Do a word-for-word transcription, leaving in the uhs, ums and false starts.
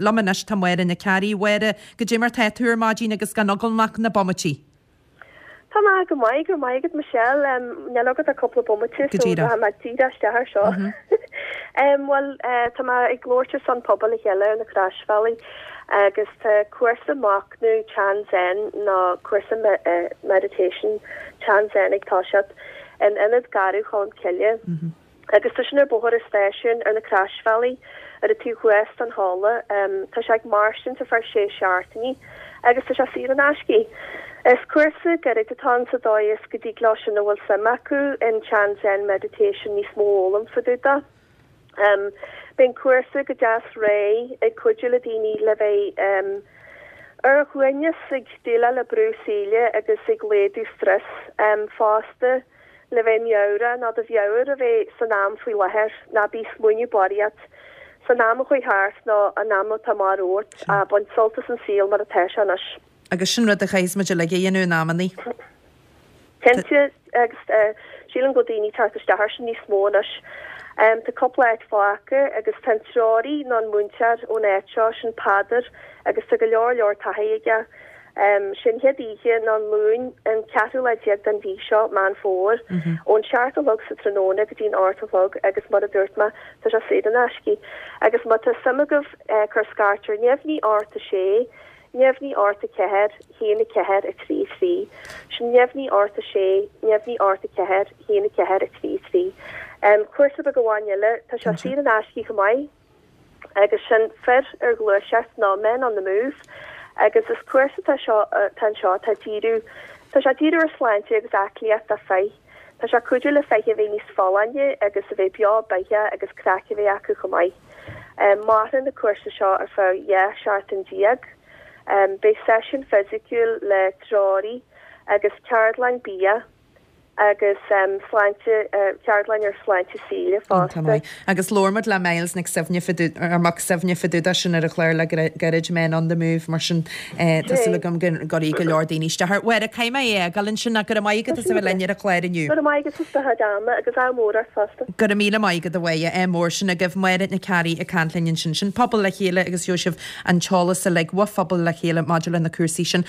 Liom anois tá Máire Nic Fhearraigh. Máire, goidé mar tá tú ar maidin agus gan fhágáil ach na bomaití. Tá mé go maith go maith agat Michelle níl agat ach cúpla bomaite Go díreach. so díreach isteach ar seo. Um, well uh, tá mé ag labhairt ar son Pobal le Chéile ar na Croisbhealaí agus tá cúrsa machnamh Chan Zen nó cúrsa me uh, meditation Chan Zen ag toiseacht in Ionad Garbh Cholmcille. Mm -hmm. Agus tá sin ar bóthar an stáisiúin ar na Croisbhealaí ar an taobh thuas den halla um, tá sé ag mairstin ar feadh sé seachtainí agus tá sé saor in aisce. Is cúrsa gairid atá sa dóigh is go dtig leo sin a bhfuil suim acu in Chan Zen meditation níos mó a fhoghlaim fá dtaobh de. Um, Bíonn cúrsa go deas réidh ag cuidiú le daoine le bheith um, ar a shuaimhneas ag déileáil le brú saoil agus ag laghdú stress um, fosta le bheith meabhrach ná do mheabhair a bheith san am faoi láthair ná bí ag smaoineamh barraíocht san am a chuaigh thart ná an am atá amach romhat a bain sult as an saol mar atá sé anois. Agus sin rud a chaithfidh muid uilig a dhéanamh in amannaí. Cinnte agus uh, sílim go daoine tar isteach sin níos mó anois. Um, tá cúpla áit fágtha agus tá treoraí nó an múinteoir ón áit seo sin Peadar agus tá go leor leor taithí aige. Um, sin chéad oíche ná an Luan an ceathrú lá déag den mhí seo Meán Fómhair mm -hmm. ón seacht a chlog sa tráthnóna go dtí'n ocht a chlog agus mar a dúirt mé tá sé saor in aisce. Agus má tá suim agaibh uh, cuir scairt ar neamhní ocht a sé, neamhní ocht a ceathair, haon a ceathair a trí trí, sin neamhní ocht a sé, neamhní ocht a ceathair, haon a ceathair a trí trí. Um, cúrsa beag amháin eile tá sé saor in aisce chomh maith agus sin fir ar ghluaiseacht ná men on the move agus is cúrsa tá seo tá seo tá díriú Tá sé díriú ar sláinte agus aclaíocht do fhir. Tá sé cuidiú le fir a bheith níos folláine agus a bheith beo beatha agus craic a bheith acu chomh maith. Um, Maireann na cúrsa seo ar feadh dhá sheachtain déag. Um, Beidh seisiún fisiciúil le treoraí agus ceardlann bia agus um, sláinte uh, ceardlann ar sláinte saoil fosta. Agus labhair muid le Miles Nic Suibhne ar Mac Suibhne fá dtaobh de sin ar an chlár le gairid men on the move mar sin tá súil agam go gcuirfidh go leor daoine isteach. Mháire caithfidh mé é gal sin na go maith go a bheith linn ar an chlár inniu. Go maith go agus ádh mór fosta. Go míle maith go bhhaide é mór sin a gah Máire Nic Fhearraigh ag caint linn sin sin Pobal le Chéile agus sibh an t-eolas uilig ó Phobal le Chéile maidir le na cúrsaí sin.